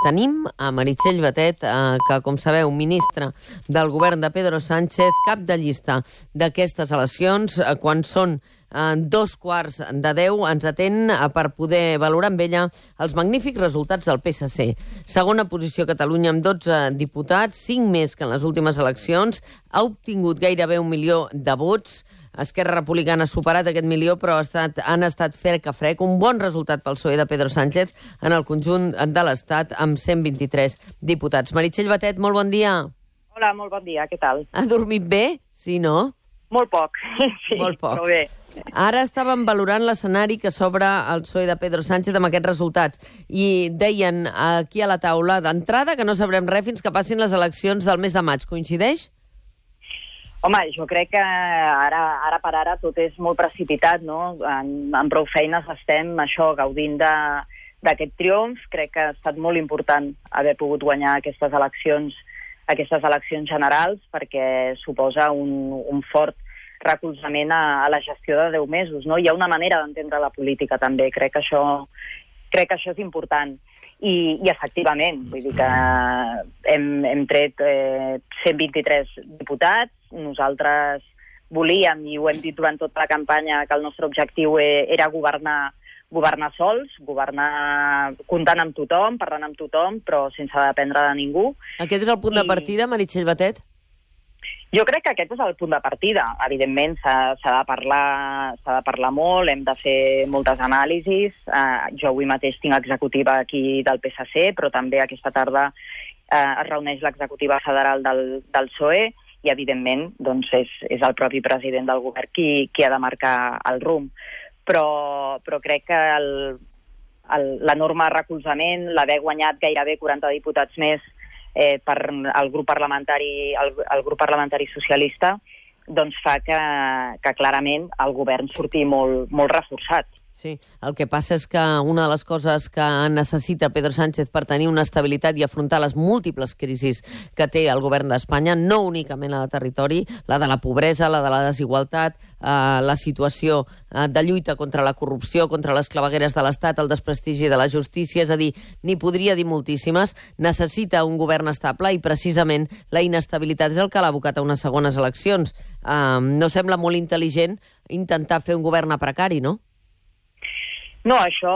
Tenim a Meritxell Batet, que, com sabeu, ministra del govern de Pedro Sánchez, cap de llista d'aquestes eleccions. Quan són 9:15, ens atén per poder valorar amb ella els magnífics resultats del PSC. Segona posició Catalunya amb 12 diputats, 5 més que en les últimes eleccions, ha obtingut gairebé 1 milió de vots. Esquerra Republicana ha superat aquest milió, però han estat frec a frec. Un bon resultat pel PSOE de Pedro Sánchez en el conjunt de l'Estat, amb 123 diputats. Meritxell Batet, molt bon dia. Hola, molt bon dia, què tal? Ha dormit bé? Sí, no? Molt poc, sí, molt poc. Però bé. Ara estàvem valorant l'escenari que s'obre al PSOE de Pedro Sánchez amb aquests resultats i deien aquí a la taula d'entrada que no sabrem res fins que passin les eleccions del mes de maig. Coincideix? Home, jo crec que ara per ara tot és molt precipitat, no? En prou feines estem, gaudint d'aquest triomf. Crec que ha estat molt important haver pogut guanyar aquestes eleccions generals, perquè suposa un fort recolzament a la gestió de 10 mesos, no? Hi ha una manera d'entendre la política, també. Crec que això és important. I efectivament, vull dir que hem tret 123 diputats. Nosaltres volíem, i ho hem dit durant tota la campanya, que el nostre objectiu era governar sols, governar comptant amb tothom, parlant amb tothom, però sense dependre de ningú. Aquest és el punt de partida, Meritxell Batet? Jo crec que aquest és el punt de partida. Evidentment, s'ha de parlar molt, hem de fer moltes anàlisis. Jo avui mateix tinc executiva aquí del PSC, però també aquesta tarda es reuneix l'executiva federal del PSOE i, evidentment, doncs és el propi president del govern qui ha de marcar el rumb. Però crec que l'enorme recolzament, l'haver guanyat gairebé 40 diputats més per el grup parlamentari socialista, doncs fa que clarament el govern surti molt reforçat. Sí, el que passa és que una de les coses que necessita Pedro Sánchez per tenir una estabilitat i afrontar les múltiples crisis que té el govern d'Espanya, no únicament la de territori, la de la pobresa, la de la desigualtat, la situació de lluita contra la corrupció, contra les clavegueres de l'Estat, el desprestigi de la justícia, és a dir, n'hi podria dir moltíssimes, necessita un govern estable i precisament la inestabilitat és el que l'ha abocat a unes segones eleccions. No sembla molt intel·ligent intentar fer un govern a precari, no? No, això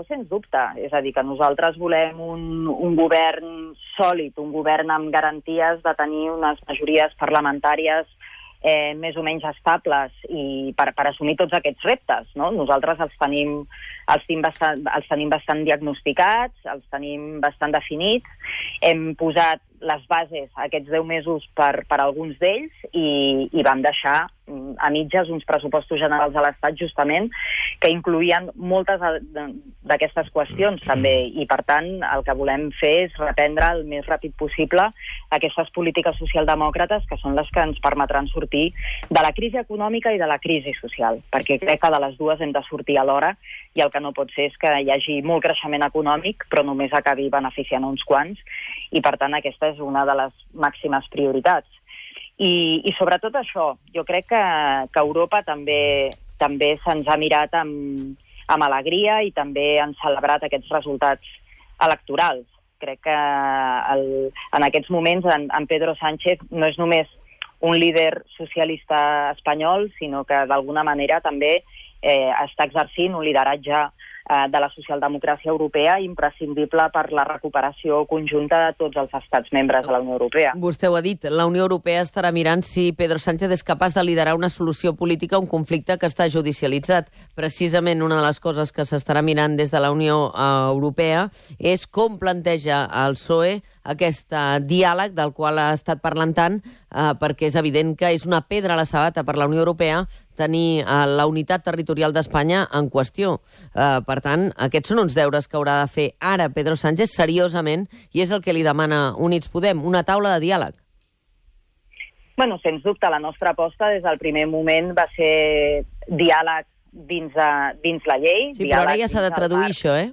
sens dubte. És a dir, que nosaltres volem un govern sòlid, un govern amb garanties de tenir unes majories parlamentàries més o menys estables i per assumir tots aquests reptes, no? Nosaltres els tenim bastant diagnosticats, els tenim bastant definits. Hem posat les bases aquests 10 mesos per alguns d'ells i vam deixar a mitges uns pressupostos generals de l'Estat justament que incloïen moltes d'aquestes qüestions també, i per tant el que volem fer és reprendre el més ràpid possible aquestes polítiques socialdemòcrates que són les que ens permetran sortir de la crisi econòmica i de la crisi social, perquè crec que de les dues hem de sortir alhora i el que no pot ser és que hi hagi molt creixement econòmic però només acabi beneficiant uns quants, i per tant aquesta és una de les màximes prioritats. I sobretot això, jo crec que Europa també se'ns ha mirat amb alegria i també han celebrat aquests resultats electorals. Crec que en aquests moments en Pedro Sánchez no és només un líder socialista espanyol, sinó que d'alguna manera també està exercint un lideratge de la socialdemocràcia europea imprescindible per la recuperació conjunta de tots els estats membres de la Unió Europea. Vostè ho ha dit, la Unió Europea estarà mirant si Pedro Sánchez és capaç de liderar una solució política a un conflicte que està judicialitzat. Precisament una de les coses que s'estarà mirant des de la Unió Europea és com planteja el PSOE aquest diàleg del qual ha estat parlant tant, perquè és evident que és una pedra a la sabata per la Unió Europea tenir la unitat territorial d'Espanya en qüestió. Per tant, aquests són uns deures que haurà de fer ara Pedro Sánchez seriosament, i és el que li demana Units Podem, una taula de diàleg. Bueno, sens dubte, la nostra aposta des del primer moment va ser diàleg dins la llei. Sí, però ara ja s'ha de traduir això, eh?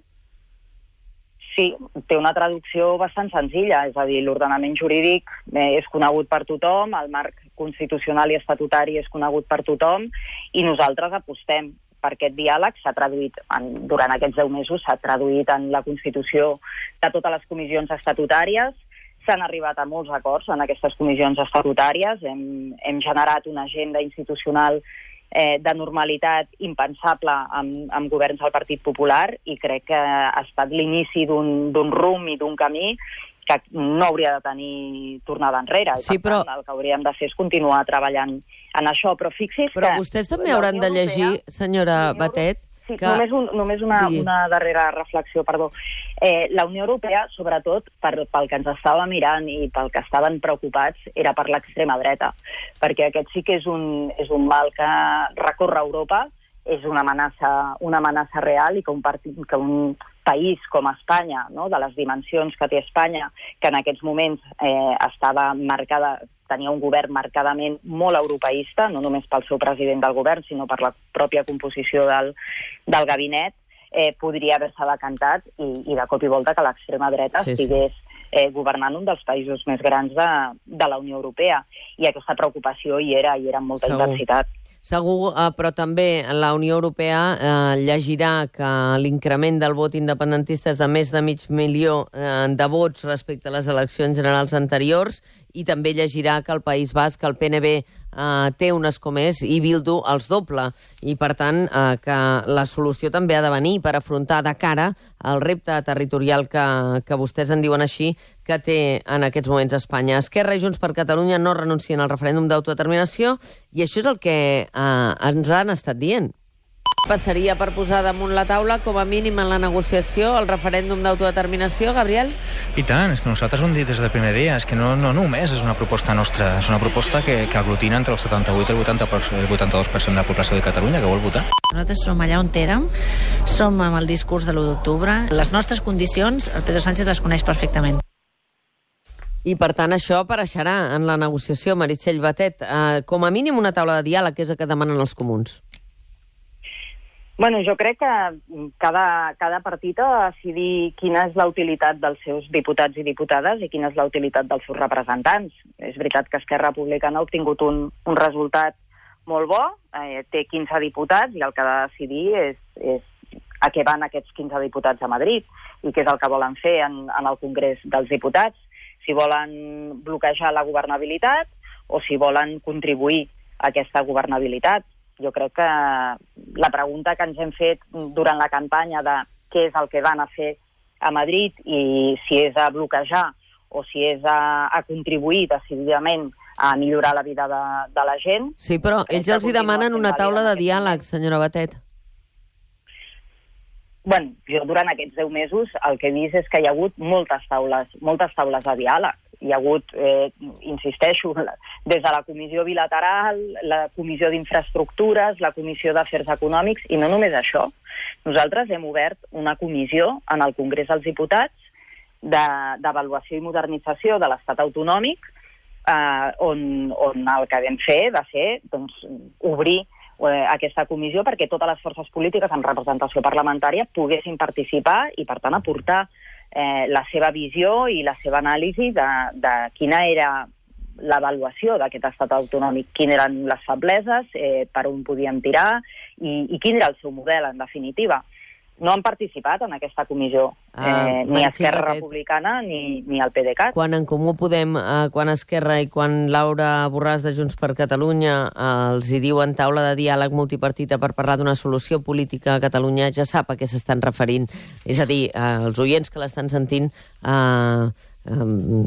Sí, té una traducció bastant senzilla, és a dir, l'ordenament jurídic és conegut per tothom, el marc constitucional i estatutari és conegut per tothom, i nosaltres apostem per aquest diàleg s'ha traduït, durant aquests 10 mesos, s'ha traduït en la constitució de totes les comissions estatutàries. S'han arribat a molts acords en aquestes comissions estatutàries. Hem generat una agenda institucional de normalitat impensable amb governs del Partit Popular i crec que ha estat l'inici d'un rumb i d'un camí que no hauria de tenir tornada enrere. Sí, però el que hauríem de fer és continuar treballant en això. Però fixi's però que vostès també hauran de llegir, senyora Batet, sí, que... només una darrera reflexió, perdó. La Unió Europea, sobretot pel que ens estava mirant i pel que estaven preocupats, era per l'extrema dreta, perquè aquest sí que és un mal que recorre Europa, és una amenaça real i que un país com Espanya, no, de les dimensions que té Espanya, que en aquests moments tenia un govern marcadament molt europeista, no només pel seu president del govern, sinó per la pròpia composició del gabinet, podria haver-se decantat i de cop i volta que l'extrema dreta estigués governant un dels països més grans de la Unió Europea. I aquesta preocupació hi era amb molta intensitat. Segur, però també la Unió Europea llegirà que l'increment del vot independentista és de més de 500.000 de vots respecte a les eleccions generals anteriors i també llegirà que el País Basc, el PNB, té un escó més i Bildu els doble. I, per tant, que la solució també ha de venir per afrontar de cara el repte territorial que vostès en diuen així, que té en aquests moments Espanya. Esquerra i Junts per Catalunya no renuncien al referèndum d'autodeterminació i això és el que ens han estat dient. Passaria per posar damunt la taula, com a mínim en la negociació, el referèndum d'autodeterminació, Gabriel? I tant, és que nosaltres ho hem dit des del primer dia, és que no només és una proposta nostra, és una proposta que aglutina entre el 78 i el 82% de la població de Catalunya que vol votar. Nosaltres som allà on érem, som amb el discurs de l'1 d'octubre. Les nostres condicions, el Pedro Sánchez les coneix perfectament. I, per tant, això apareixerà en la negociació, Meritxell Batet. Com a mínim una taula de diàleg, que és el que demanen els comuns. Bueno, jo crec que cada partit ha de decidir quina és la utilitat dels seus diputats i diputades i quina és la utilitat dels seus representants. És veritat que Esquerra Republicana ha obtingut un resultat molt bo, té 15 diputats i el que ha de decidir és a què van aquests 15 diputats a Madrid i què és el que volen fer en el Congrés dels Diputats, si volen bloquejar la governabilitat o si volen contribuir a aquesta governabilitat. Jo crec que la pregunta que ens hem fet durant la campanya de què és el que van a fer a Madrid i si és a bloquejar o si és a contribuir decididament a millorar la vida de la gent... Sí, però ells els hi demanen una taula de diàleg, senyora Batet. Bueno, jo durant aquests 10 mesos el que he vist és que hi ha hagut moltes taules de diàleg. Hi ha hagut, insisteixo, des de la Comissió Bilateral, la Comissió d'Infraestructures, la Comissió d'Afers Econòmics, i no només això. Nosaltres hem obert una comissió en el Congrés dels Diputats d'avaluació i modernització de l'Estat autonòmic, on el que vam fer va ser obrir aquesta comissió perquè totes les forces polítiques amb representació parlamentària poguessin participar i, per tant, aportar la seva visió i la seva anàlisi de quina era l'avaluació d'aquest estat autonòmic, quines eren les febleses, per on podíem tirar i quin era el seu model, en definitiva. No han participat en aquesta comissió, ni Esquerra Republicana ni el PDeCAT. Quan en Comú Podem, quan Esquerra i quan Laura Borràs de Junts per Catalunya els hi diuen taula de diàleg multipartita per parlar d'una solució política a Catalunya, ja sap a què s'estan referint. És a dir, els oients que l'estan sentint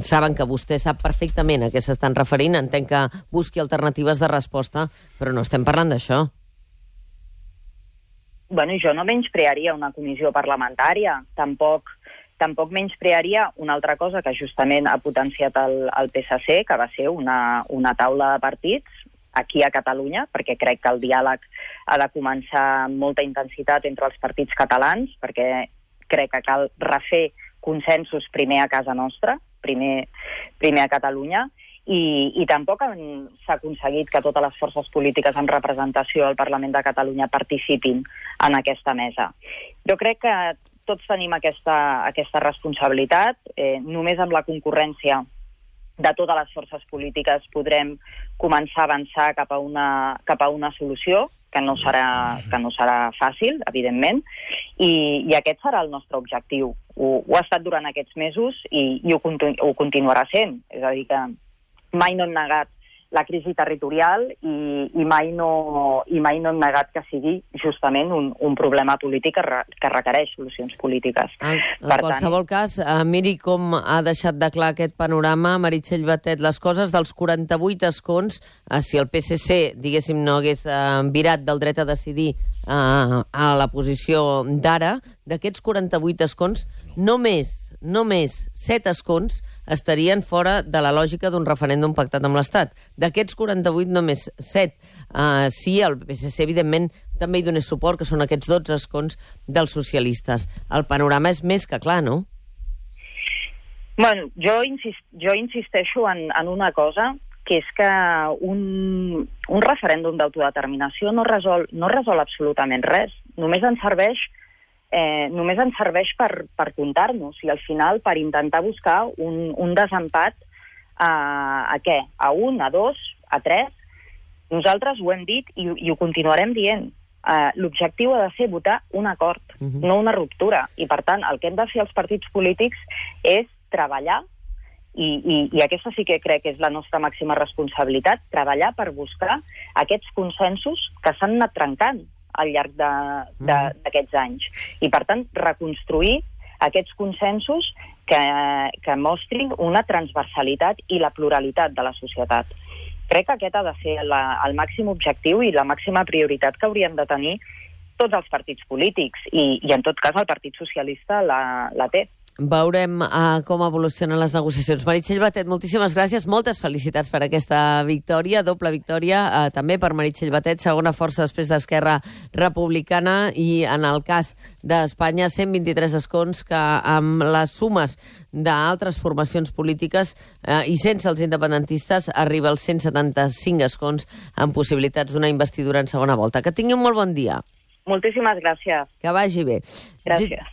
saben que vostè sap perfectament a què s'estan referint, entenc que busqui alternatives de resposta, però no estem parlant d'això. Bueno, jo no menysprearia una comissió parlamentària, tampoc menysprearia una altra cosa que justament ha potenciat el PSC, que va ser una taula de partits aquí a Catalunya, perquè crec que el diàleg ha de començar amb molta intensitat entre els partits catalans, perquè crec que cal refer consensos primer a casa nostra, primer a Catalunya, i tampoc s'ha aconseguit que totes les forces polítiques amb representació al Parlament de Catalunya participin en aquesta mesa. Jo crec que tots tenim aquesta responsabilitat. Només amb la concurrència de totes les forces polítiques podrem començar a avançar cap a una solució que no serà fàcil, evidentment, i aquest serà el nostre objectiu. Ho ha estat durant aquests mesos i ho continuarà sent. És a dir, que mai no hem negat la crisi territorial i mai no hem negat que sigui justament un problema polític que requereix solucions polítiques. En qualsevol cas, miri com ha deixat de clar aquest panorama Meritxell Batet, les coses dels 48 escons, si el PSC, diguéssim, no hagués virat del dret a decidir a la posició d'ara, d'aquests 48 escons, només 7 escons estarien fora de la lògica d'un referèndum pactat amb l'Estat. D'aquests 48, només 7. Sí, el PSC, evidentment, també hi donés suport, que són aquests 12 escons dels socialistes. El panorama és més que clar, no? Bueno, jo insisteixo en una cosa, que és que un referèndum d'autodeterminació no resol absolutament res. Només ens serveix per comptar-nos i al final per intentar buscar un desempat a què? A 1, a 2, a 3? Nosaltres ho hem dit i ho continuarem dient. L'objectiu ha de ser votar un acord, no una ruptura. I per tant, el que hem de fer els partits polítics és treballar, i aquesta sí que crec que és la nostra màxima responsabilitat, treballar per buscar aquests consensos que s'han anat trencant al llarg d'aquests anys. I, per tant, reconstruir aquests consensos que mostrin una transversalitat i la pluralitat de la societat. Crec que aquest ha de ser el màxim objectiu i la màxima prioritat que haurien de tenir tots els partits polítics, i en tot cas el Partit Socialista la té. Veurem com evolucionen les negociacions. Meritxell Batet, moltíssimes gràcies, moltes felicitats per aquesta victòria, doble victòria, també per Meritxell Batet, segona força després d'Esquerra Republicana, i en el cas d'Espanya, 123 escons que amb les sumes d'altres formacions polítiques i sense els independentistes arriba als 175 escons amb possibilitats d'una investidura en segona volta. Que tingui un molt bon dia. Moltíssimes gràcies. Que vagi bé. Gràcies.